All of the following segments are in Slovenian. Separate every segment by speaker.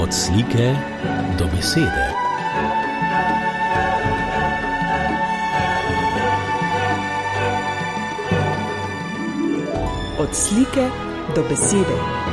Speaker 1: Od slike do besede.
Speaker 2: Od slike do besede.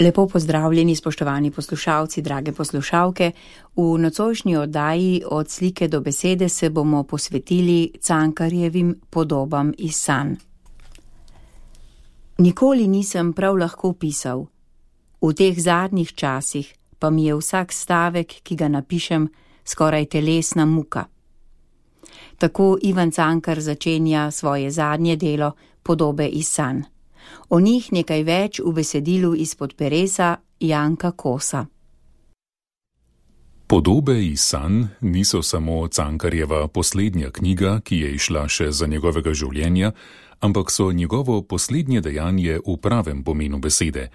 Speaker 3: Lepo pozdravljeni, spoštovani poslušalci, drage poslušalke. V nocojšnji oddaji Od slike do besede se bomo posvetili Cankarjevim podobam iz sanj. Nikoli nisem prav lahko pisal. V teh zadnjih časih pa mi je vsak stavek, ki ga napišem, skoraj telesna muka. Tako Ivan Cankar začenja svoje zadnje delo Podobe iz sanj. O njih nekaj več v besedilu izpod peresa Janka Kosa.
Speaker 4: Podobe iz sanj niso samo Cankarjeva poslednja knjiga, ki je izšla še za njegovega življenja, ampak so njegovo poslednje dejanje v pravem pomenu besede,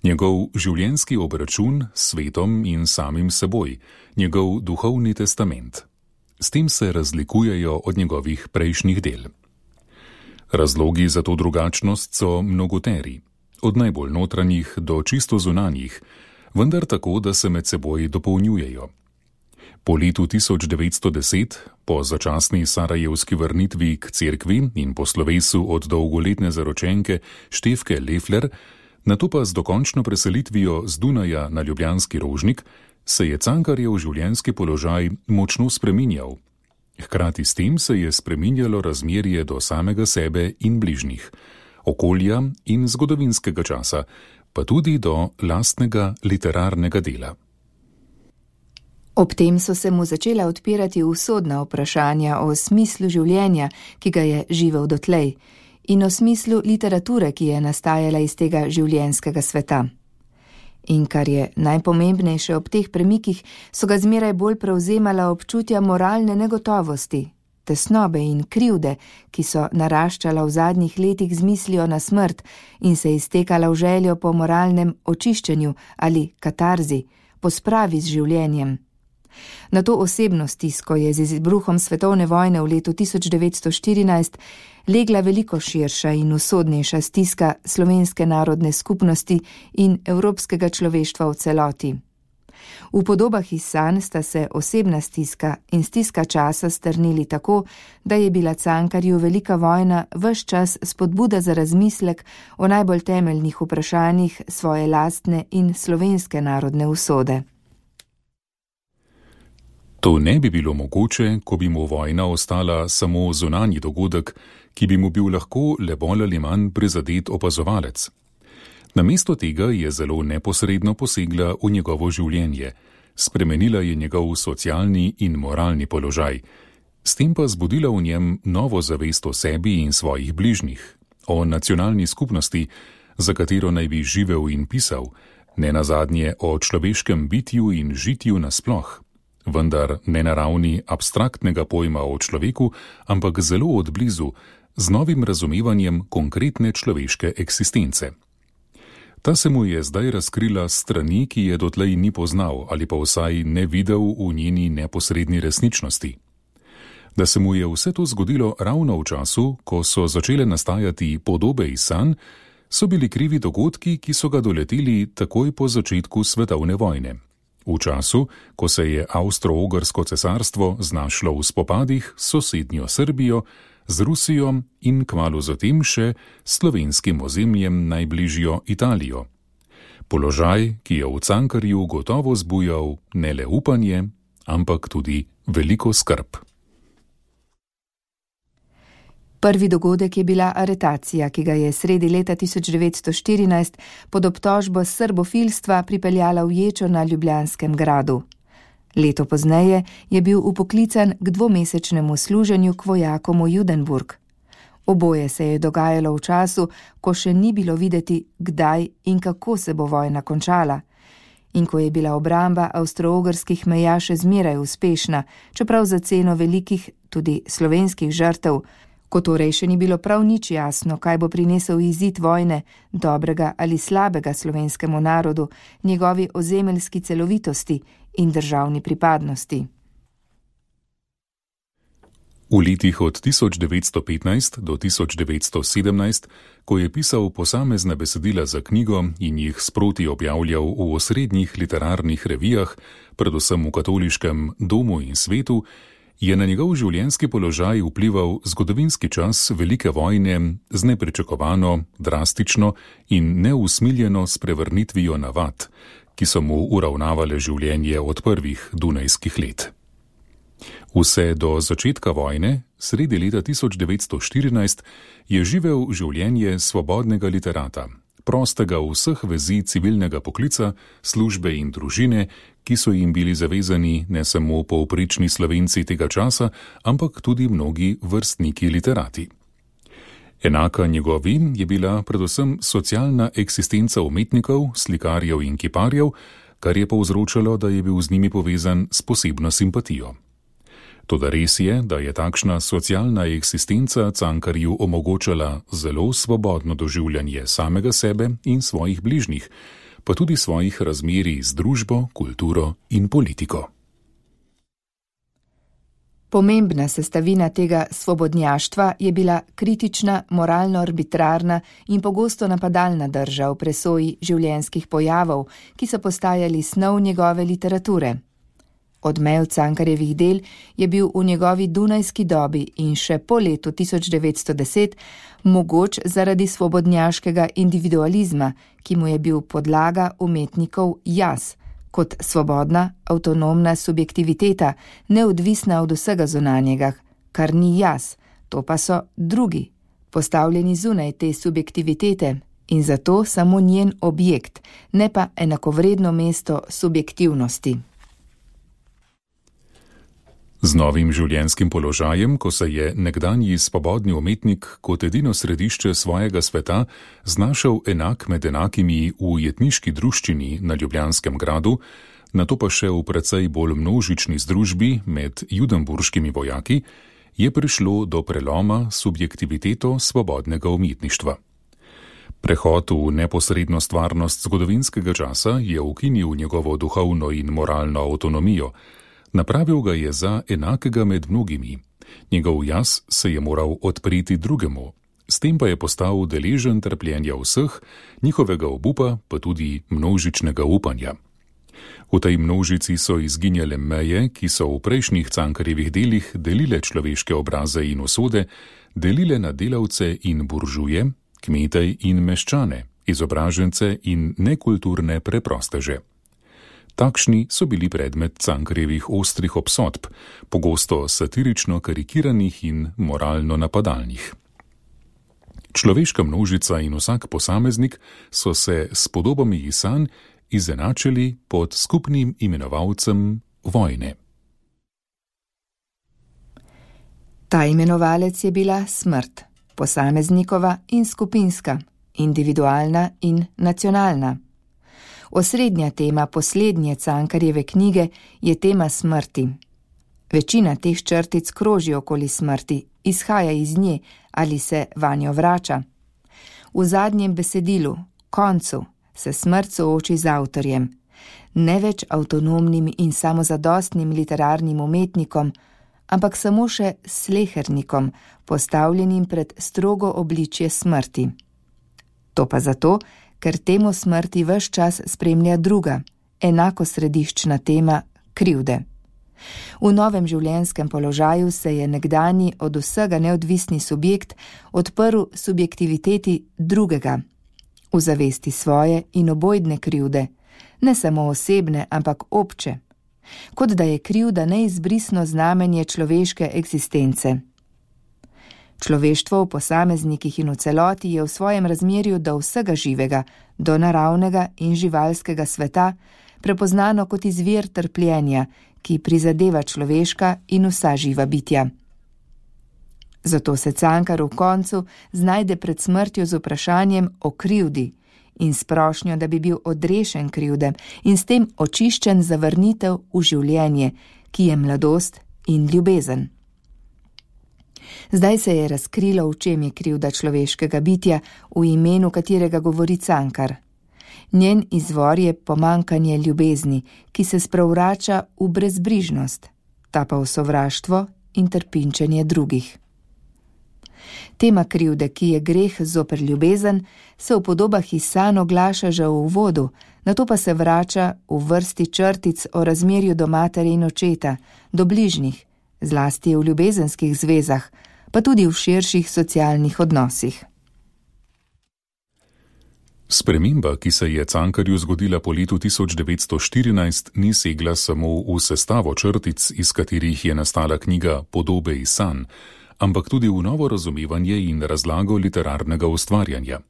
Speaker 4: njegov življenjski obračun s svetom in samim seboj, njegov duhovni testament. S tem se razlikujejo od njegovih prejšnjih del. Razlogi za to drugačnost so mnogoteri, od najbolj notranjih do čisto zunanjih, vendar tako, da se med seboj dopolnjujejo. Po letu 1910, po začasni sarajevski vrnitvi k cerkvi in po slovesu od dolgoletne zaročenke Štefke Lefler, nato pa z dokončno preselitvijo z Dunaja na ljubljanski Rožnik, se je Cankarjev življenjski položaj močno spreminjal. Hkrati s tem se je spreminjalo razmerje do samega sebe in bližnjih, okolja in zgodovinskega časa, pa tudi do lastnega literarnega dela.
Speaker 5: Ob tem so se mu začela odpirati usodna vprašanja o smislu življenja, ki ga je živel dotlej, in o smislu literature, ki je nastajala iz tega življenjskega sveta. In kar je najpomembnejše ob teh premikih, so ga zmeraj bolj prevzemala občutja moralne negotovosti, tesnobe in krivde, ki so naraščala v zadnjih letih z mislijo na smrt in se iztekala v željo po moralnem očiščenju ali katarzi, po spravi z življenjem. Na to osebno stisko je z izbruhom svetovne vojne v letu 1914 legla veliko širša in usodnejša stiska slovenske narodne skupnosti in evropskega človeštva v celoti. V Podobah iz sanj sta se osebna stiska in stiska časa strnili tako, da je bila Cankarju velika vojna ves čas spodbuda za razmislek o najbolj temeljnih vprašanjih svoje lastne in slovenske narodne usode.
Speaker 4: To ne bi bilo mogoče, ko bi mu vojna ostala samo zunanji dogodek, ki bi mu bil lahko le bolj ali manj prizadet opazovalec. Namesto tega je zelo neposredno posegla v njegovo življenje, spremenila je njegov socialni in moralni položaj, s tem pa zbudila v njem novo zavest o sebi in svojih bližnjih, o nacionalni skupnosti, za katero naj bi živel in pisal, nenazadnje o človeškem bitju in žitju nasploh. Vendar ne na ravni abstraktnega pojma o človeku, ampak zelo odblizu, z novim razumevanjem konkretne človeške eksistence. Ta se mu je zdaj razkrila s strani, ki je dotlej ni poznal ali pa vsaj ne videl v njeni neposredni resničnosti. Da se mu je vse to zgodilo ravno v času, ko so začele nastajati Podobe iz sanj, so bili krivi dogodki, ki so ga doleteli takoj po začetku svetovne vojne. V času, ko se je Avstro-Ogrsko cesarstvo znašlo v spopadih s sosednjo Srbijo, z Rusijo in kmalu zatem še slovenskim ozemljem najbližjo Italijo. Položaj, ki je v Cankarju gotovo zbujal ne le upanje, ampak tudi veliko skrb.
Speaker 5: Prvi dogodek je bila aretacija, ki ga je sredi leta 1914 pod obtožbo srbofilstva pripeljala v ječo na Ljubljanskem gradu. Leto pozneje je bil upoklican k 2-mesečnemu služenju k vojakom v Judenburg. Oboje se je dogajalo v času, ko še ni bilo videti, kdaj in kako se bo vojna končala. In ko je bila obramba avstro-ogrskih meja še zmeraj uspešna, čeprav za ceno velikih, tudi slovenskih žrtev, ko torej še ni bilo prav nič jasno, kaj bo prinesel izid vojne, dobrega ali slabega slovenskemu narodu, njegovi ozemeljski celovitosti in državni pripadnosti.
Speaker 4: V letih od 1915 do 1917, ko je pisal posamezna besedila za knjigo in jih sproti objavljal v osrednjih literarnih revijah, predvsem v katoliškem Domu in Svetu, je na njegov življenjski položaj vplival zgodovinski čas velike vojne z nepričakovano, drastično in neusmiljeno sprevrnitvijo navad, ki so mu uravnavale življenje od prvih dunajskih let. Vse do začetka vojne, sredi leta 1914, je živel življenje svobodnega literata, prostega vseh vezi civilnega poklica, službe in družine, ki so jim bili zavezani ne samo povprečni Slovenci tega časa, ampak tudi mnogi vrstniki literati. Enaka njegovi je bila predvsem socialna eksistenca umetnikov, slikarjev in kiparjev, kar je povzročalo, da je bil z njimi povezan s posebno simpatijo. Toda res je, da je takšna socialna eksistenca Cankarju omogočala zelo svobodno doživljanje samega sebe in svojih bližnjih, pa tudi svojih razmerij z družbo, kulturo in politiko.
Speaker 5: Pomembna sestavina tega svobodnjaštva je bila kritična, moralno arbitrarna in pogosto napadalna drža v presoji življenjskih pojavov, ki so postajali snov njegove literature. Odmev Cankarjevih del je bil v njegovi dunajski dobi in še po letu 1910 mogoč zaradi svobodnjaškega individualizma, ki mu je bil podlaga umetnikov jaz, kot svobodna, avtonomna subjektiviteta, neodvisna od vsega zunanjega, kar ni jaz, to pa so drugi, postavljeni zunaj te subjektivitete in zato samo njen objekt, ne pa enakovredno mesto subjektivnosti.
Speaker 4: Z novim življenjskim položajem, ko se je nekdanji svobodni umetnik kot edino središče svojega sveta znašel enak med enakimi v ujetniški druščini na Ljubljanskem gradu, nato pa še v precej bolj množični združbi med judenburškimi vojaki, je prišlo do preloma subjektiviteto svobodnega umetništva. Prehod v neposredno stvarnost zgodovinskega časa je ukinil njegovo duhovno in moralno avtonomijo. Napravil ga je za enakega med mnogimi. Njegov jaz se je moral odpreti drugemu, s tem pa je postal deležen trpljenja vseh, njihovega obupa pa tudi množičnega upanja. V tej množici so izginjale meje, ki so v prejšnjih Cankarjevih delih delile človeške obraze in usode, delile na delavce in buržuje, kmete in meščane, izobražence in nekulturne preprosteže. Takšni so bili predmet Cankarjevih ostrih obsodb, pogosto satirično karikiranih in moralno napadalnih. Človeška množica in vsak posameznik so se s podobami iz sanj izenačili pod skupnim imenovalcem vojne.
Speaker 5: Ta imenovalec je bila smrt, posameznikova in skupinska, individualna in nacionalna. Osrednja tema poslednje Cankarjeve knjige je tema smrti. Večina teh črtic kroži okoli smrti, izhaja iz nje ali se vanjo vrača. V zadnjem besedilu, koncu, se smrt sooči z avtorjem, ne več avtonomnim in samozadostnim literarnim umetnikom, ampak samo še slehernikom, postavljenim pred strogo obličje smrti. To pa zato, ker temo smrti ves čas spremlja druga, enako središčna tema krivde. V novem življenjskem položaju se je nekdanji od vsega neodvisni subjekt odprl subjektiviteti drugega, v zavesti svoje in obojdne krivde, ne samo osebne, ampak obče, kot da je krivda neizbrisno znamenje človeške eksistence. Človeštvo v posameznikih in v celoti je v svojem razmerju do vsega živega, do naravnega in živalskega sveta, prepoznano kot izvir trpljenja, ki prizadeva človeška in vsa živa bitja. Zato se Cankar v koncu znajde pred smrtjo z vprašanjem o krivdi in s prošnjo, da bi bil odrešen krivde in s tem očiščen za vrnitev v življenje, ki je mladost in ljubezen. Zdaj se je razkrilo, v čem je krivda človeškega bitja, v imenu katerega govori Cankar. Njen izvor je pomankanje ljubezni, ki se sprevrača v brezbrižnost, ta pa v sovraštvo in trpinčenje drugih. Tema krivde, ki je greh zoper ljubezen, se v podobah iz sanj oglaša že v uvodu, nato pa se vrača v vrsti črtic o razmerju do matere in očeta, do bližnjih, zlasti v ljubezenskih zvezah, pa tudi v širših socialnih odnosih.
Speaker 4: Sprememba, ki se je Cankarju zgodila po letu 1914, ni segla samo v sestavo črtic, iz katerih je nastala knjiga Podobe iz sanj, ampak tudi v novo razumevanje in razlago literarnega ustvarjanja.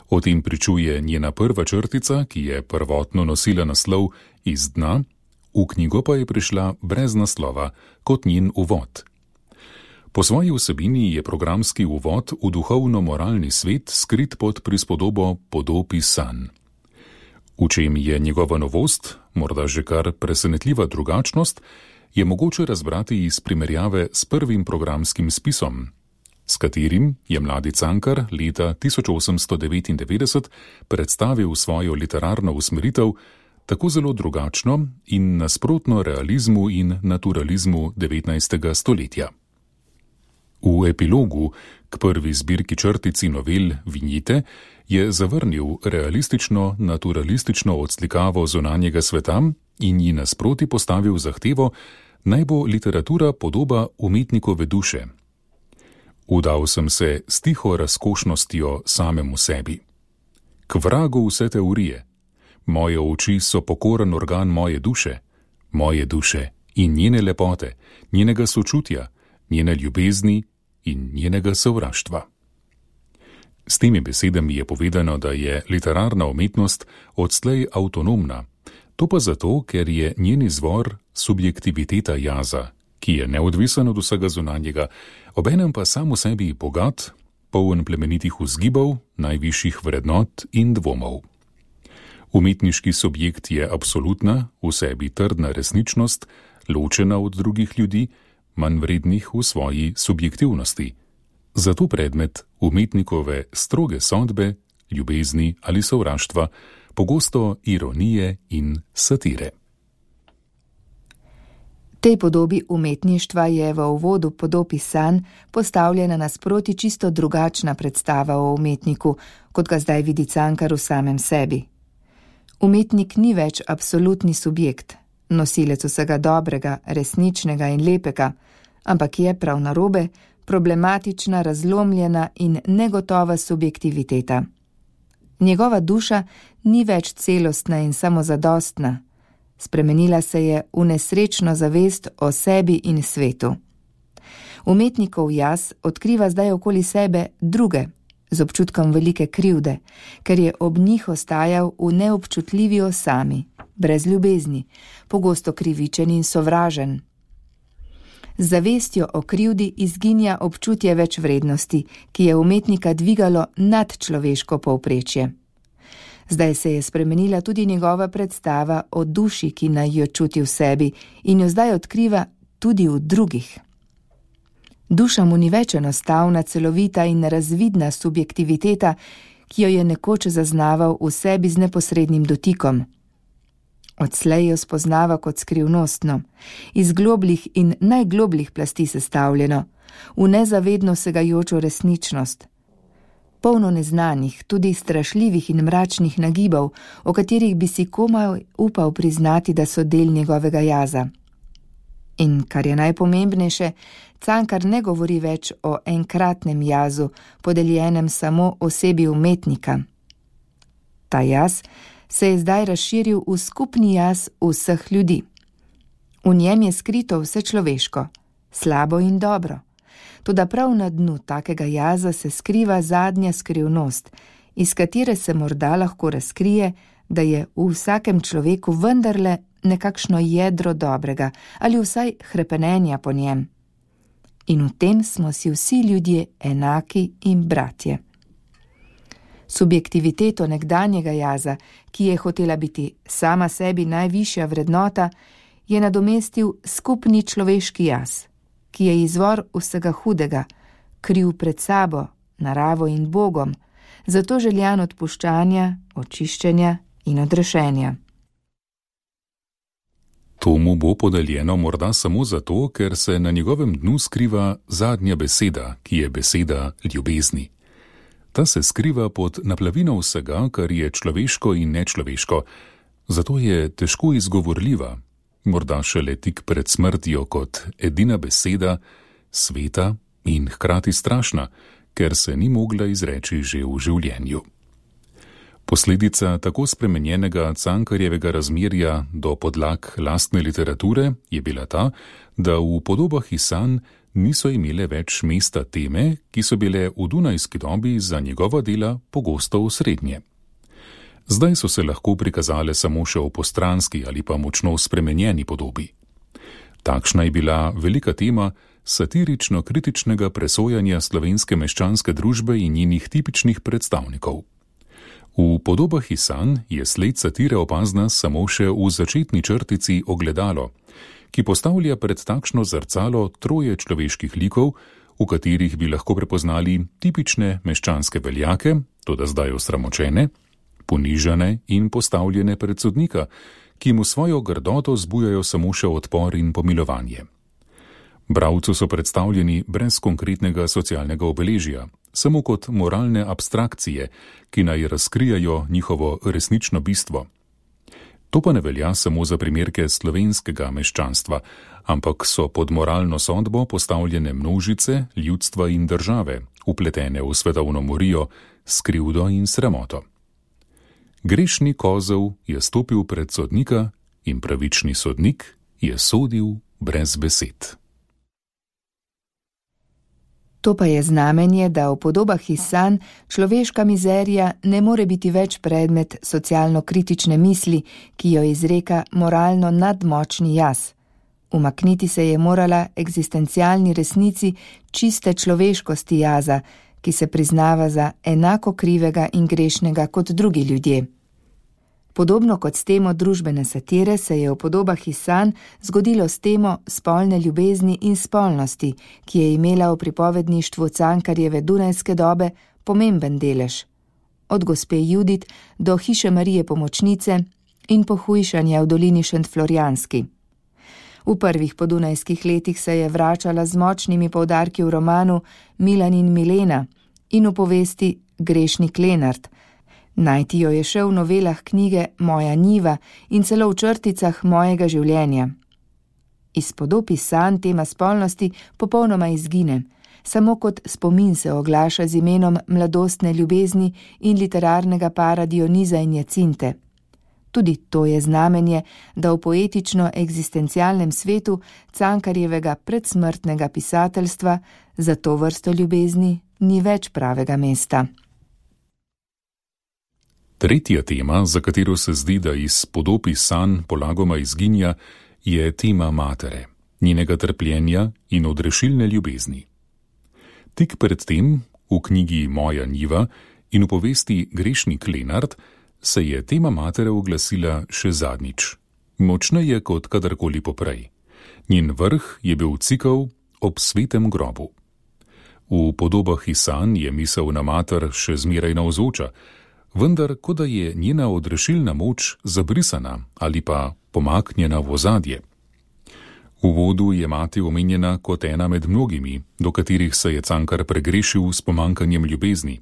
Speaker 4: O tem pričuje njena prva črtica, ki je prvotno nosila naslov Iz dna, v knjigo pa je prišla brez naslova, kot njen uvod. Po svoji vsebini je programski uvod v duhovno-moralni svet skrit pod prispodobo Podob iz sanj. V čem je njegova novost, morda že kar presenetljiva drugačnost, je mogoče razbrati iz primerjave s prvim programskim spisom, s katerim je mladi Cankar leta 1899 predstavil svojo literarno usmeritev, tako zelo drugačno in nasprotno realizmu in naturalizmu 19. stoletja. V epilogu k prvi zbirki črtic in novel Vinjete je zavrnil realistično-naturalistično odslikavo zunanjega sveta in ji nasproti postavil zahtevo, naj bo literatura podoba umetnikove duše. Udal sem se s tiho razkošnostjo samemu sebi. K vragu vse teorije. Moje oči so pokoren organ moje duše in njene lepote, njenega sočutja, njene ljubezni in njenega sovraštva. S temi besedami je povedano, da je literarna umetnost odslej avtonomna, to pa zato, ker je njen izvor subjektiviteta jaza, ki je neodvisen od vsega zunanjega, obenem pa sam v sebi bogat, poln plemenitih vzgibov, najvišjih vrednot in dvomov. Umetniški subjekt je absolutna, v sebi trdna resničnost, ločena od drugih ljudi, manj vrednih v svoji subjektivnosti. Zato predmet umetnikove stroge sodbe, ljubezni ali sovraštva, pogosto ironije in satire.
Speaker 5: Tej podobi umetništva je v uvodu Podob iz sanj postavljena nasproti čisto drugačna predstava o umetniku, kot ga zdaj vidi Cankar v samem sebi. Umetnik ni več absolutni subjekt, nosilec vsega dobrega, resničnega in lepega, ampak je prav narobe problematična, razlomljena in negotova subjektiviteta. Njegova duša ni več celostna in samozadostna, spremenila se je v nesrečno zavest o sebi in svetu. Umetnikov jaz odkriva zdaj okoli sebe druge, z občutkom velike krivde, ker je ob njih ostajal v neobčutljivi osami, brez ljubezni, pogosto krivičen in sovražen. Z zavestjo o krivdi izginja občutje več vrednosti, ki je umetnika dvigalo nad človeško povprečje. Zdaj se je spremenila tudi njegova predstava o duši, ki naj jo čuti v sebi in jo zdaj odkriva tudi v drugih. Duša mu ni več enostavna, celovita in razvidna subjektiviteta, ki jo je nekoč zaznaval v sebi z neposrednim dotikom. Odslej jo spoznava kot skrivnostno, iz globljih in najglobljih plasti sestavljeno, v nezavedno segajočo resničnost. Polno neznanih, tudi strašljivih in mračnih nagibov, o katerih bi si komaj upal priznati, da so del njegovega jaza. In kar je najpomembnejše, Cankar ne govori več o enkratnem jazu, podeljenem samo osebi umetnika. Ta jaz se je zdaj razširil v skupni jaz vseh ljudi. V njem je skrito vse človeško, slabo in dobro. Toda prav na dnu takega jaza se skriva zadnja skrivnost, iz katere se morda lahko razkrije, da je v vsakem človeku vendarle nekakšno jedro dobrega ali vsaj hrepenenja po njem. In v tem smo si vsi ljudje enaki in bratje. Subjektiviteto nekdanjega jaza, ki je hotela biti sama sebi najvišja vrednota, je nadomestil skupni človeški jaz, ki je izvor vsega hudega, kriv pred sabo, naravo in Bogom, zato željan odpuščanja, očiščenja in odrešenja.
Speaker 4: To mu bo podeljeno morda samo zato, ker se na njegovem dnu skriva zadnja beseda, ki je beseda ljubezni. Ta se skriva pod naplavino vsega, kar je človeško in nečloveško, zato je težko izgovorljiva, morda šele tik pred smrtjo kot edina beseda, sveta in hkrati strašna, ker se ni mogla izreči že v življenju. Posledica tako spremenjenega Cankarjevega razmerja do podlag lastne literature je bila ta, da v podobah iz sanj niso imele več mesta teme, ki so bile v dunajski dobi za njegova dela pogosto osrednje. Zdaj so se lahko prikazale samo še v postranski ali pa močno spremenjeni podobi. Takšna je bila velika tema satirično-kritičnega presojanja slovenske meščanske družbe in njenih tipičnih predstavnikov. V podobah iz sanj je sled satire opazna samo še v začetni črtici Ogledalo, ki postavlja pred takšno zrcalo troje človeških likov, v katerih bi lahko prepoznali tipične meščanske veljake, toda zdaj osramočene, ponižane in postavljene pred sodnika, ki mu svojo grdoto zbujajo samo še odpor in pomilovanje. Bralcu so predstavljeni brez konkretnega socialnega obeležja, samo kot moralne abstrakcije, ki naj razkrijajo njihovo resnično bistvo. To pa ne velja samo za primerke slovenskega meščanstva, ampak so pod moralno sodbo postavljene množice, ljudstva in države, vpletene v svetovno morijo, skrivdo in sramoto. Grešni kozel je stopil pred sodnika in pravični sodnik je sodil brez besed.
Speaker 5: To pa je znamenje, da v podobah iz sanj človeška mizerija ne more biti več predmet socialno-kritične misli, ki jo izreka moralno nadmočni jaz. Umakniti se je morala eksistencialni resnici čiste človeškosti jaza, ki se priznava za enako krivega in grešnega kot drugi ljudje. Podobno kot s temo družbene satire se je v podobah iz sanj zgodilo s temo spolne ljubezni in spolnosti, ki je imela v pripovedništvu Cankarjeve dunajske dobe pomemben delež. Od gospe Judit do hiše Marije Pomočnice in pohujšanja v dolini Šentflorjanski. V prvih podunajskih letih se je vračala z močnimi poudarki v romanu Milan in Milena in v povesti Grešnik Lenart. Najti jo je še v novelah knjige Moja njiva in celo v črticah Mojega življenja. Iz podob iz sanj tema spolnosti popolnoma izgine, samo kot spomin se oglaša z imenom mladostne ljubezni in literarnega para Dioniza in Jacinte. Tudi to je znamenje, da v poetično-eksistencialnem svetu Cankarjevega predsmrtnega pisateljstva za to vrsto ljubezni ni več pravega mesta.
Speaker 4: Tretja tema, za katero se zdi, da iz podob iz sanj polagoma izginja, je tema matere, njenega trpljenja in odrešilne ljubezni. Tik pred tem, v knjigi Moja njiva in v povesti Grešnik Lenart, se je tema matere oglasila še zadnjič, močneje kot kadarkoli poprej. Njen vrh je bil cikel ob svetem grobu. V podobah iz sanj je misel na mater še zmeraj navzoča, vendar kot da je njena odrešilna moč zabrisana ali pa pomaknjena v ozadje. V uvodu je mati omenjena kot ena med mnogimi, do katerih se je Cankar pregrešil s pomankanjem ljubezni.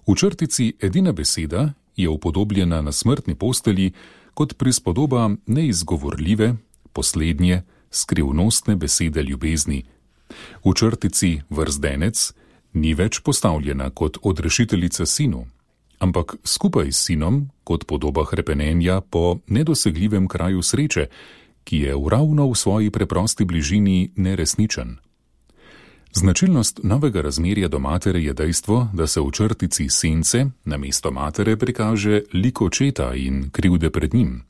Speaker 4: V črtici edina beseda je upodobljena na smrtni postelji kot prispodoba neizgovorljive, poslednje, skrivnostne besede ljubezni. V črtici Vrzdenec ni več postavljena kot odrešiteljica sinu, ampak skupaj s sinom kot podoba hrepenenja po nedosegljivem kraju sreče, ki je ravno v svoji preprosti bližini neresničen. Značilnost novega razmerja do matere je dejstvo, da se v črtici Sence namesto matere prikaže lik očeta in krivde pred njim.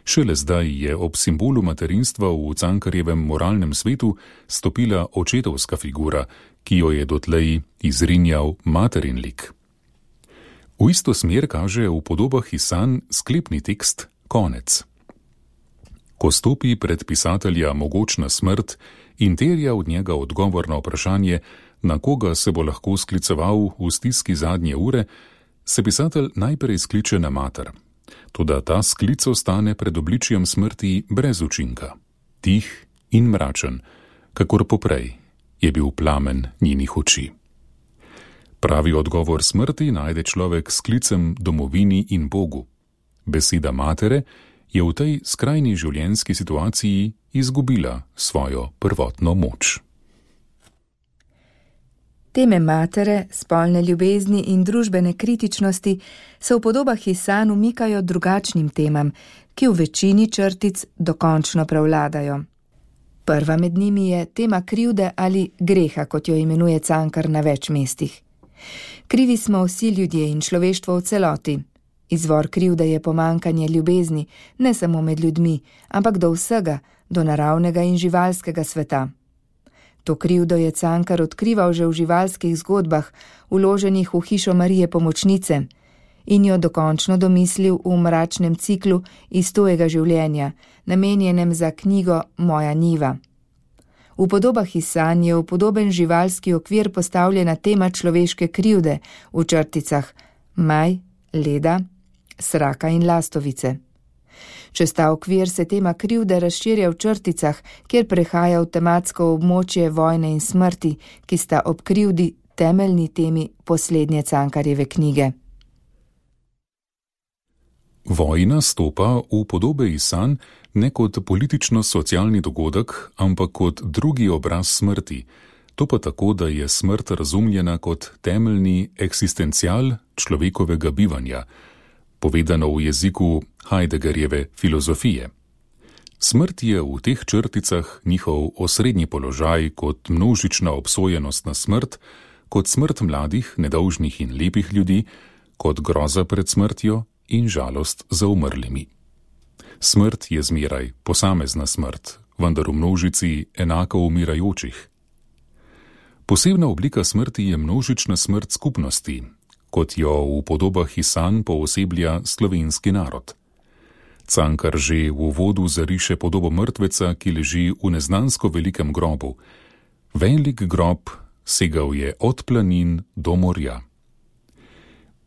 Speaker 4: Šele zdaj je ob simbolu materinstva v Cankarjevem moralnem svetu stopila očetovska figura, ki jo je dotlej izrinjal materin lik. V isto smer kaže v podobah iz sanj sklepni tekst Konec. Ko stopi pred pisatelja mogočna smrt in terja od njega odgovor na vprašanje, na koga se bo lahko skliceval v stiski zadnje ure, se pisatelj najprej skliče na mater. Toda ta sklic ostane pred obličjem smrti brez učinka. Tih in mračen, kakor poprej, je bil plamen njenih oči. Pravi odgovor smrti najde človek s klicem domovini in Bogu. Beseda matere je v tej skrajni življenjski situaciji izgubila svojo prvotno moč.
Speaker 5: Teme matere, spolne ljubezni in družbene kritičnosti se v podobah iz sanj umikajo drugačnim temam, ki v večini črtic dokončno prevladajo. Prva med njimi je tema krivde ali greha, kot jo imenuje Cankar na več mestih. Krivi smo vsi ljudje in človeštvo v celoti. Izvor krivde je pomankanje ljubezni, ne samo med ljudmi, ampak do vsega, do naravnega in živalskega sveta. To krivdo je Cankar odkrival že v živalskih zgodbah, vloženih v hišo Marije Pomočnice, in jo dokončno domislil v mračnem ciklu Istojega življenja, namenjenem za knjigo Moja njiva. V podobah iz sanj je v podoben živalski okvir postavljena tema človeške krivde v črticah Maj, Leda, Sraka in Lastovice. Čez ta okvir se tema krivde razširja v črticah, kjer prehaja v tematsko območje vojne in smrti, ki sta ob krivdi temeljni temi poslednje Cankarjeve knjige.
Speaker 4: Vojna stopa v podobe iz sanj ne kot politično-socialni dogodek, ampak kot drugi obraz smrti. To pa tako, da je smrt razumljena kot temeljni eksistencial človekovega bivanja, povedano v jeziku Heideggerjeve filozofije. Smrt je v teh črticah njihov osrednji položaj kot množična obsojenost na smrt, kot smrt mladih, nedolžnih in lepih ljudi, kot groza pred smrtjo in žalost za umrlimi. Smrt je zmeraj posamezna smrt, vendar v množici enako umirajočih. Posebna oblika smrti je množična smrt skupnosti, kot jo v podobah iz sanj pooseblja slovenski narod. Cankar že v uvodu zariše podobo mrtveca, ki leži v neznansko velikem grobu. Velik grob segal je od planin do morja.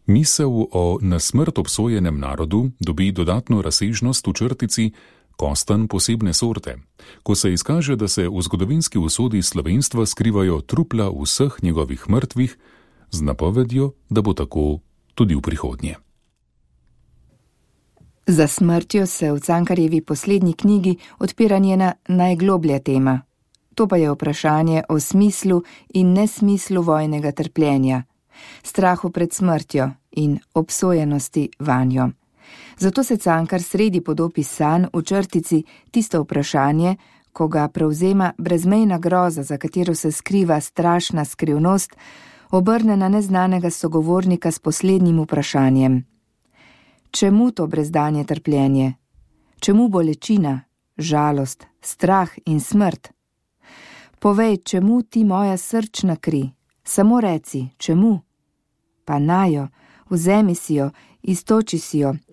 Speaker 4: Misel o na smrt obsojenem narodu dobi dodatno razsežnost v črtici Kostanj posebne sorte, ko se izkaže, da se v zgodovinski usodi slovenstva skrivajo trupla vseh njegovih mrtvih, z napovedjo, da bo tako tudi v prihodnje.
Speaker 5: Za smrtjo se v Cankarjevi poslednji knjigi odpira njena najgloblja tema. To pa je vprašanje o smislu in nesmislu vojnega trpljenja, strahu pred smrtjo in obsojenosti vanjo. Zato se Cankar sredi podob iz sanj v črtici tisto vprašanje, ko ga prevzema brezmejna groza, za katero se skriva strašna skrivnost, obrne na neznanega sogovornika s poslednjim vprašanjem. Čemu to brezdanje trpljenje? Čemu bolečina, žalost, strah in smrt? Povej, čemu ti moja srčna kri? Samo reci, čemu? Pa najo, vzemi si jo,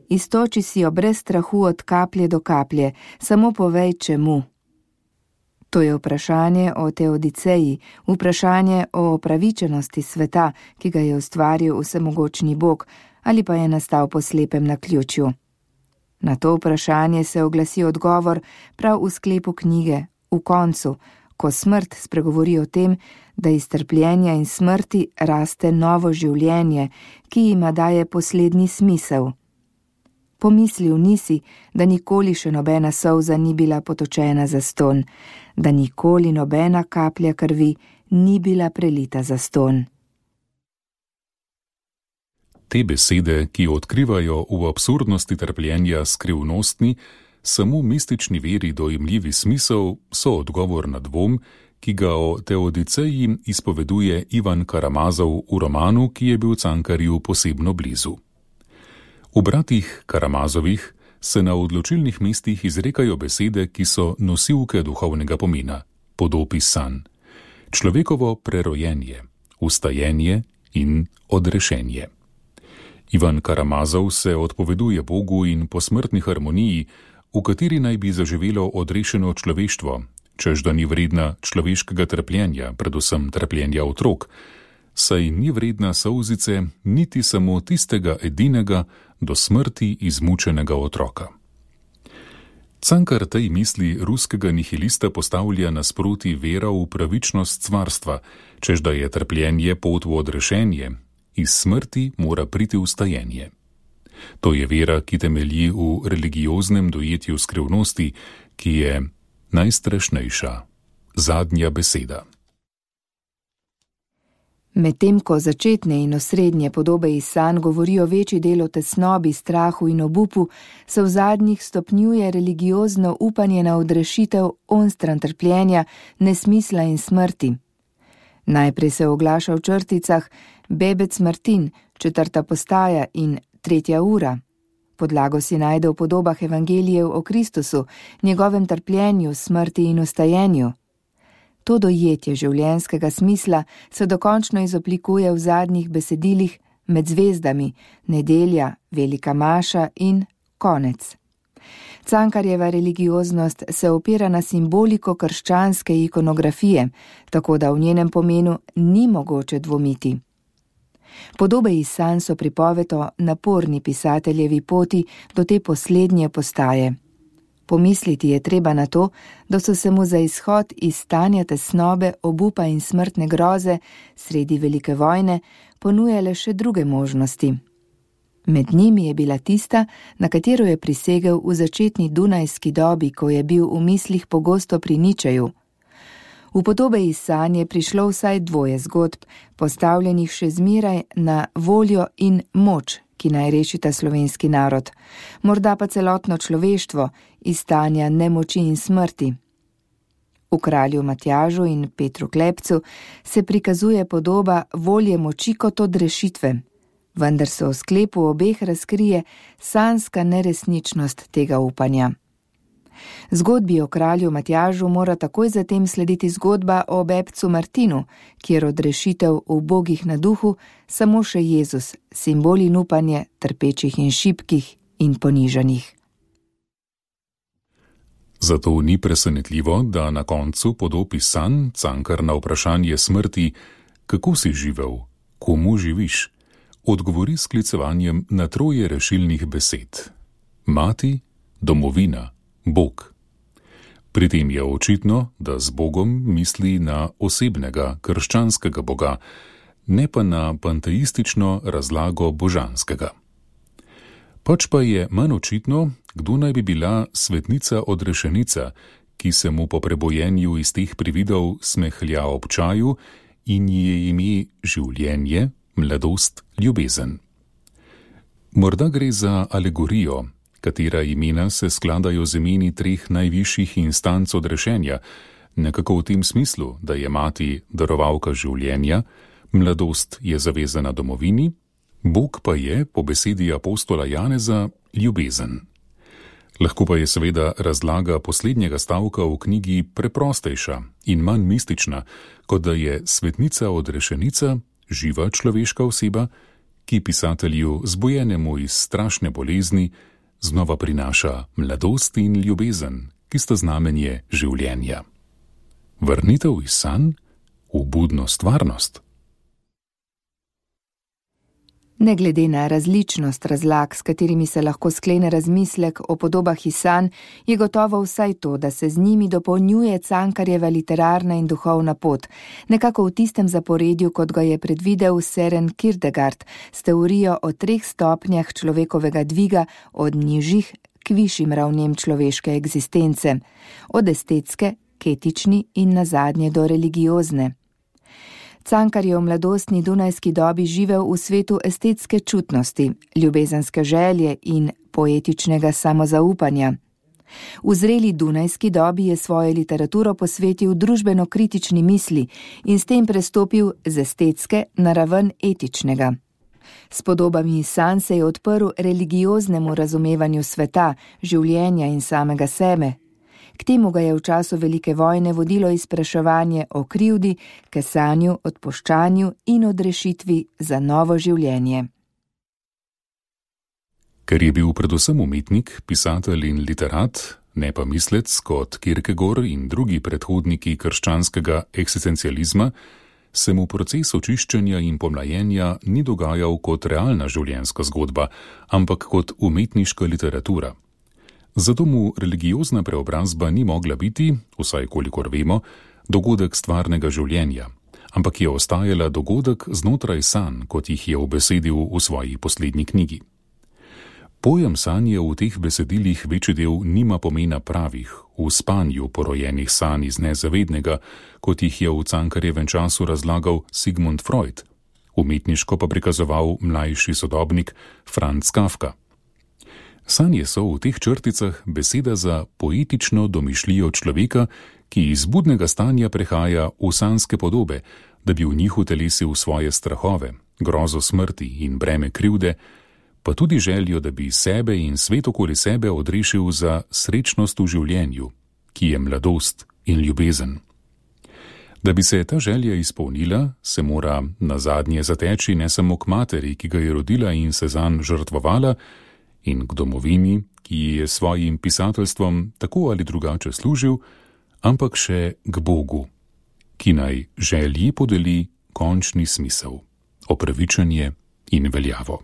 Speaker 5: iztoči si jo brez strahu od kaplje do kaplje, samo povej, čemu. To je vprašanje o Teodiceji, vprašanje o opravičenosti sveta, ki ga je ustvaril vsemogočni Bog, ali pa je nastal po slepem naključju. Na to vprašanje se oglasi odgovor prav v sklepu knjige, v koncu, ko smrt spregovori o tem, da iz trpljenja in smrti raste novo življenje, ki jima daje poslednji smisel. Pomislil nisi, da nikoli še nobena solza ni bila potočena za ston, da nikoli nobena kaplja krvi ni bila prelita za ston.
Speaker 4: Te besede, ki odkrivajo v absurdnosti trpljenja skrivnostni, samo mistični veri dojemljivi smisel, so odgovor na dvom, ki ga o Teodiceji izpoveduje Ivan Karamazov v romanu, ki je bil Cankarju posebno blizu. V bratih Karamazovih se na odločilnih mestih izrekajo besede, ki so nosilke duhovnega pomena, podob iz sanj. Človekovo prerojenje, ustajenje in odrešenje. Ivan Karamazov se odpoveduje Bogu in posmrtni harmoniji, v kateri naj bi zaživelo odrešeno človeštvo, čež da ni vredna človeškega trpljenja, predvsem trpljenja otrok, saj ni vredna solzice niti samo tistega edinega do smrti izmučenega otroka. Cankar tej misli ruskega nihilista postavlja nasproti vera v pravičnost stvarstva, čež da je trpljenje pot v odrešenje, iz smrti mora priti vstajenje. To je vera, ki temelji v religioznem dojetju skrivnosti, ki je najstrašnejša, zadnja beseda.
Speaker 5: Medtem ko začetne in osrednje podobe iz sanj govorijo večji del o tesnobi, strahu in obupu, se v zadnjih stopnjuje religiozno upanje na odrešitev onstran trpljenja, nesmisla in smrti. Najprej se oglaša v črticah Bebec Martin, 4. postaja in 3. ura. Podlago si najde v podobah evangelijev o Kristusu, njegovem trpljenju, smrti in vstajenju. To dojetje življenjskega smisla se dokončno izoblikuje v zadnjih besedilih Med zvezdami, Nedelja, Velika maša in Konec. Cankarjeva religioznost se opira na simboliko krščanske ikonografije, tako da v njenem pomenu ni mogoče dvomiti. Podobe iz sanj so pripoved o naporni pisateljevi poti do te poslednje postaje. Pomisliti je treba na to, da so se mu za izhod iz stanja tesnobe, obupa in smrtne groze sredi velike vojne ponujale še druge možnosti. Med njimi je bila tista, na katero je prisegel v začetni dunajski dobi, ko je bil v mislih pogosto pri Ničeju. V podobe iz sanj je prišlo vsaj 2 zgodb, postavljenih še zmeraj na voljo in moč, ki naj rešita slovenski narod, morda pa celotno človeštvo iz stanja nemoči in smrti. V Kralju Matjažu in Petru Klepcu se prikazuje podoba volje moči kot odrešitve, vendar se v sklepu obeh razkrije sanjska neresničnost tega upanja. Zgodbi o Kralju Matjažu mora takoj zatem slediti zgodba o Bebcu Martinu, kjer odrešitev ubogih na duhu samo še Jezus, simbol in upanje trpečih in šibkih in ponižanih.
Speaker 4: Zato ni presenetljivo, da na koncu podob iz sanj Cankar na vprašanje smrti, kako si živel, komu živiš, odgovori s sklicevanjem na 3 rešilnih besed: mati, domovina, Bog. Pri tem je očitno, da z Bogom misli na osebnega krščanskega Boga, ne pa na panteistično razlago božanskega. Pač pa je manj očitno, kdo naj bi bila svetnica odrešenica, ki se mu po prebojenju iz teh prividov smehlja ob čaju in ji je ime življenje, mladost, ljubezen. Morda gre za alegorijo, katera imena se skladajo z imeni 3 najvišjih instanc odrešenja, nekako v tem smislu, da je mati darovalka življenja, mladost je zavezana domovini, Bog pa je, po besedi apostola Janeza, ljubezen. Lahko pa je seveda razlaga poslednjega stavka v knjigi preprostejša in manj mistična, kot da je svetnica odrešenica, živa človeška oseba, ki pisatelju, zbojenemu iz strašne bolezni, znova prinaša mladost in ljubezen, ki sta znamenje življenja. Vrnitev iz sanj v budno stvarnost.
Speaker 5: Ne glede na različnost razlag, s katerimi se lahko sklene razmislek o podobah iz sanj, je gotovo vsaj to, da se z njimi dopolnjuje Cankarjeva literarna in duhovna pot, nekako v tistem zaporedju, kot ga je predvidel Søren Kierkegaard s teorijo o 3 stopnjah človekovega dviga od nižjih k višjim ravnem človeške eksistence, od estetske k etični in nazadnje do religiozne. Cankar je v mladostni dunajski dobi živel v svetu estetske čutnosti, ljubezenske želje in poetičnega samozaupanja. V zreli dunajski dobi je svojo literaturo posvetil družbeno-kritični misli in s tem prestopil z estetske na raven etičnega. S podobami sanj se je odprl religioznemu razumevanju sveta, življenja in samega sebe. K temu ga je v času velike vojne vodilo izpraševanje o krivdi, kesanju, odpuščanju in odrešitvi za novo življenje.
Speaker 4: Ker je bil predvsem umetnik, pisatelj in literat, ne pa mislec kot Kierkegaard in drugi predhodniki krščanskega eksistencializma, se mu proces očiščenja in pomlajenja ni dogajal kot realna življenjska zgodba, ampak kot umetniška literatura. Zato mu religiozna preobrazba ni mogla biti, vsaj kolikor vemo, dogodek stvarnega življenja, ampak je ostajala dogodek znotraj sanj, kot jih je obesedil v svoji poslednji knjigi. Pojem sanje v teh besedilih večji del nima pomena pravih, v spanju porojenih sanj iz nezavednega, kot jih je v Cankarjevem času razlagal Sigmund Freud, umetniško pa prikazoval mlajši sodobnik Franz Kafka. Sanje so v teh črticah beseda za poetično domišljijo človeka, ki iz budnega stanja prehaja v sanjske podobe, da bi v njih utelesil svoje strahove, grozo smrti in breme krivde, pa tudi željo, da bi sebe in svet okoli sebe odrešil za srečnost v življenju, ki je mladost in ljubezen. Da bi se ta želja izpolnila, se mora nazadnje zateči ne samo k materi, ki ga je rodila in se zanj žrtvovala, in k domovini, ki je svojim pisateljstvom tako ali drugače služil, ampak še k Bogu, ki naj želji podeli končni smisel, opravičenje in veljavo.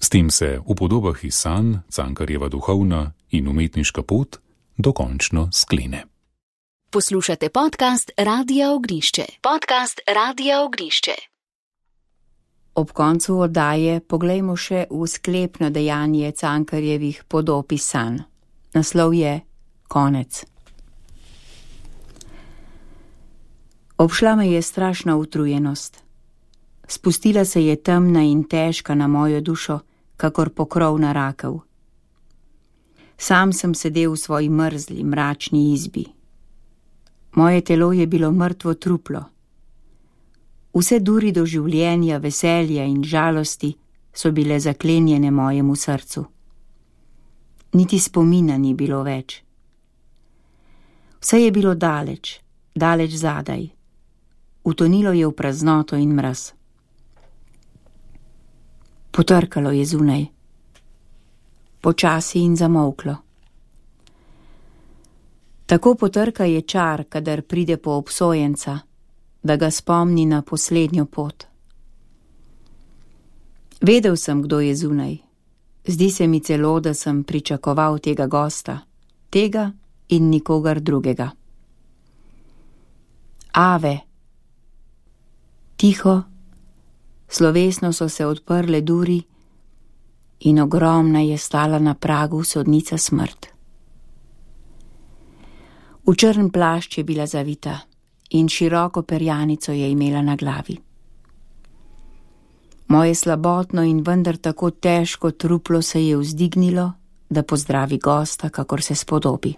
Speaker 4: S tem se v podobah iz sanj Cankarjeva duhovna in umetniška pot dokončno sklene.
Speaker 6: Poslušate podcast Radia Ognišče.
Speaker 3: Ob koncu oddaje poglejmo še v sklepno dejanje Cankarjevih podob iz sanj. Naslov je Konec. Obšla me je strašna utrujenost. Spustila se je temna in težka na mojo dušo, kakor pokrov na rakev. Sam sem sedel v svoji mrzli, mračni izbi. Moje telo je bilo mrtvo truplo. Vse duri do življenja, veselja in žalosti so bile zaklenjene mojemu srcu. Niti spomina ni bilo več. Vse je bilo daleč, daleč zadaj. Utonilo je v praznoto in mraz. Potrkalo je zunaj. Počasi in zamolklo. Tako potrka je čar, kadar pride po obsojenca, da ga spomni na poslednjo pot. Vedel sem, kdo je zunaj. Zdi se mi celo, da sem pričakoval tega gosta, tega in nikogar drugega. Ave. Tiho, slovesno so se odprle duri in ogromna je stala na pragu sodnica smrt. V črn plašč je bila zavita in široko perjanico je imela na glavi. Moje slabotno in vendar tako težko truplo se je vzdignilo, da pozdravi gosta, kakor se spodobi.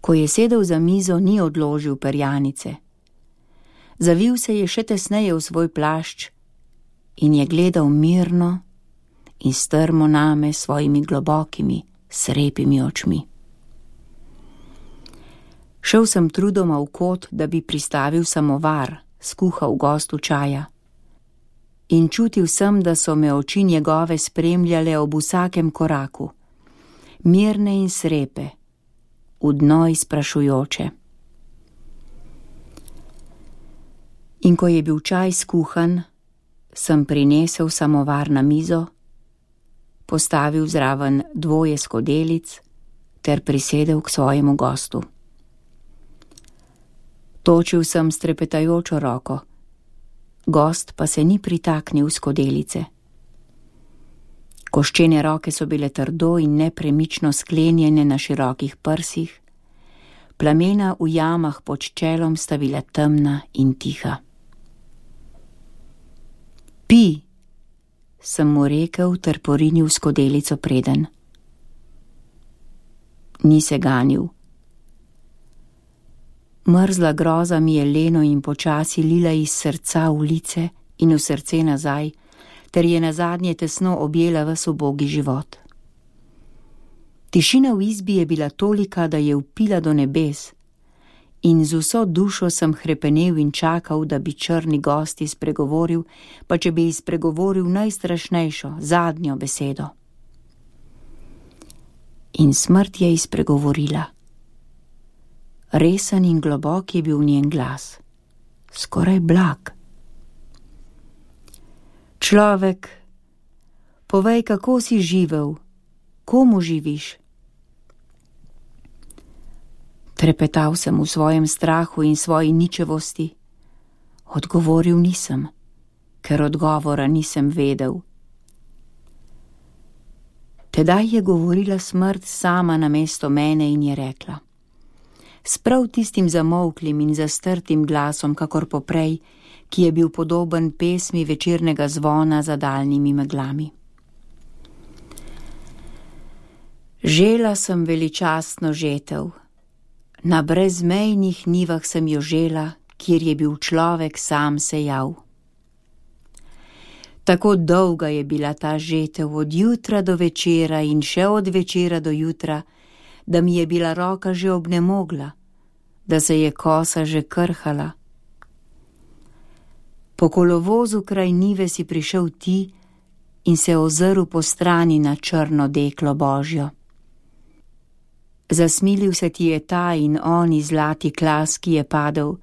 Speaker 3: Ko je sedel za mizo, ni odložil perjanice. Zavil se je še tesneje v svoj plašč in je gledal mirno in strmo name svojimi globokimi, srepimi očmi. Šel sem trudoma v kot, da bi pristavil samovar, skuhal gostu čaja. In čutil sem, da so me oči njegove spremljale ob vsakem koraku, mirne in srepe, v dno izprašujoče. In ko je bil čaj skuhan, sem prinesel samovar na mizo, postavil zraven 2 skodelic ter prisedel k svojemu gostu. Točil sem s trepetajočo roko, gost pa se ni pritaknil v skodelice. Koščene roke so bile trdo in nepremično sklenjene na širokih prsih, plamena v jamah pod čelom sta bila temna in tiha. Pi, sem mu rekel ter porinil skodelico preden. Ni se ganil. Mrzla groza mi je leno in počasi lila iz srca v lice in v srce nazaj, ter je nazadnje tesno objela ves ubogi život. Tišina v izbi je bila tolika, da je vpila do nebes, in z vso dušo sem hrepenel in čakal, da bi črni gost izpregovoril, pa če bi izpregovoril najstrašnejšo, zadnjo besedo. In smrt je izpregovorila. Resen in globok je bil njen glas, skoraj blag. Človek, povej, kako si živel, komu živiš? Trepetal sem v svojem strahu in svoji ničevosti. Odgovoril nisem, ker odgovora nisem vedel. Tedaj je govorila smrt sama namesto mene in je rekla, s prav tistim zamolklim in zastrtim glasom, kakor poprej, ki je bil podoben pesmi večernega zvona za daljnimi meglami. Žela sem veličastno žetev, na brezmejnih nivah sem jo žela, kjer je bil človek sam sejal. Tako dolga je bila ta žetev od jutra do večera in še od večera do jutra, da mi je bila roka že obnemogla, da se je kosa že krhala. Po kolovozu kraj nive si prišel ti in se ozrl po strani na črno deklo Božjo. Zasmilil se ti je ta in oni zlati klas, ki je padel,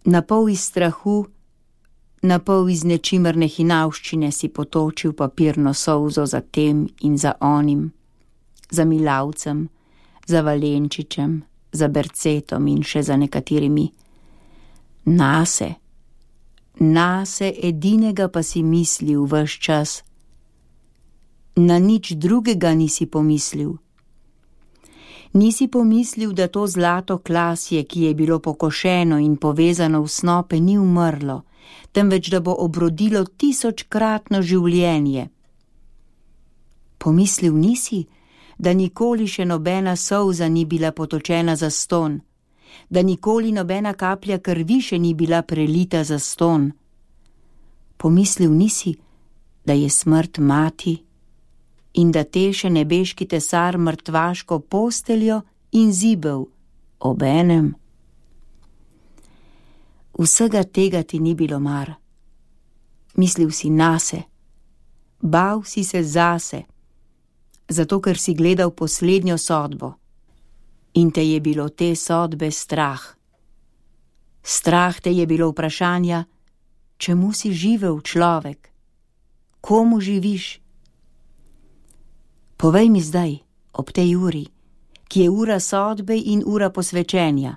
Speaker 3: napol iz strahu, napol iz nečimrne hinavščine si potočil papirno solzo za tem in za onim, za Milavcem, za Valenčičem, za Bercetom in še za nekaterimi. Nase edinega pa si mislil ves čas. Na nič drugega nisi pomislil. Nisi pomislil, da to zlato klasje, ki je bilo pokošeno in povezano v snope, ni umrlo, temveč da bo obrodilo 1000-kratno življenje. Pomislil nisi, da nikoli še nobena solza ni bila potočena za ston, da nikoli nobena kaplja krvi še ni bila prelita za ston. Pomislil nisi, da je smrt mati in da teše nebeški tesar mrtvaško posteljo in zibel obenem. Vsega tega ti ni bilo mar. Mislil si nase, bal si se zase, zato ker si gledal poslednjo sodbo in te je bilo te sodbe strah. Strah te je bilo vprašanja, čemu si živel človek, komu živiš? Povej mi zdaj, ob tej uri, ki je ura sodbe in ura posvečenja,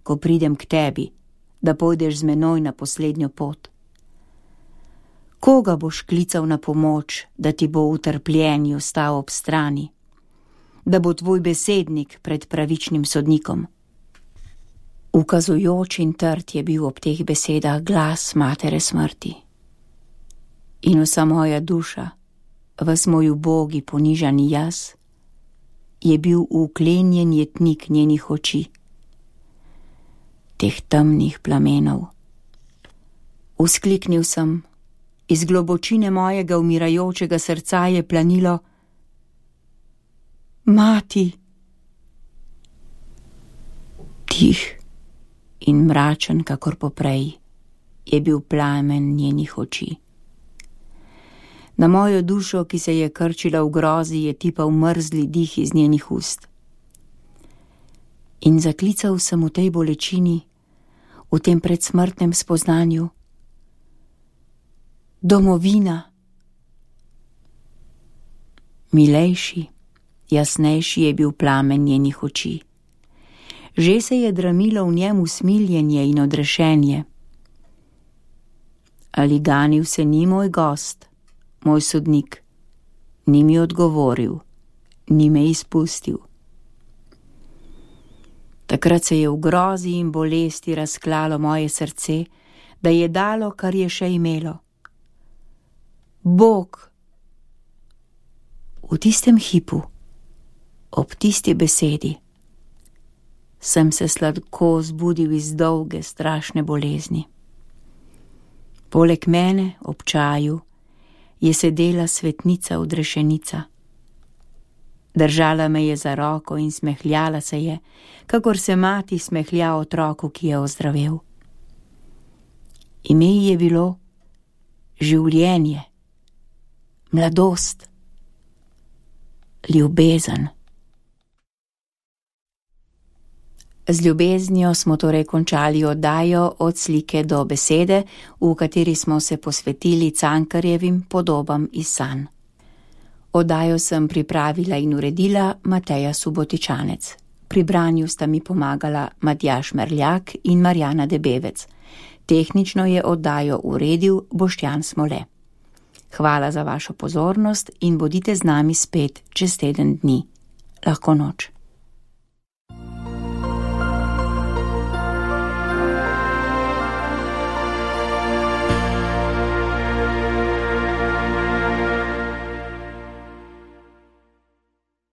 Speaker 3: ko pridem k tebi, da pojdeš z menoj na poslednjo pot. Koga boš klical na pomoč, da ti bo v trpljenju stal ob strani, da bo tvoj besednik pred pravičnim sodnikom? Ukazujoč in trd je bil ob teh besedah glas matere smrti. In vsa moja duša, ves moj ubogi ponižani jaz, je bil uklenjen jetnik njenih oči, teh temnih plamenov. Vzkliknil sem, iz globočine mojega umirajočega srca je planilo: Mati! Tih in mračen, kakor poprej, je bil plamen njenih oči. Na mojo dušo, ki se je krčila v grozi, je tipal mrzli dih iz njenih ust. In zaklical sem v tej bolečini, v tem predsmrtnem spoznanju: Domovina! Milejši, jasnejši je bil plamen njenih oči. Že se je dramilo v njem usmiljenje in odrešenje. Ali ganil se ni moj gost, moj sodnik, ni mi odgovoril, ni me izpustil. Takrat se je v grozi in bolesti razklalo moje srce, da je dalo, kar je še imelo. Bog! V tistem hipu, ob tisti besedi, sem se sladko zbudil iz dolge, strašne bolezni. Poleg mene, ob čaju, je sedela svetnica odrešenica. Držala me je za roko in smehljala se je, kakor se mati smehlja otroku, ki je ozdravel. Ime ji je bilo življenje, mladost. ljubezen. Z ljubeznijo smo torej končali oddajo Od slike do besede, v kateri smo se posvetili Cankarjevim podobam iz sanj. Oddajo sem pripravila in uredila Mateja Subotičanec. Pri branju sta mi pomagala Matjaž Merljak in Marjana Debevec. Tehnično je oddajo uredil Boštjan Smole. Hvala za vašo pozornost in bodite z nami spet čez teden dni. Lahko noč.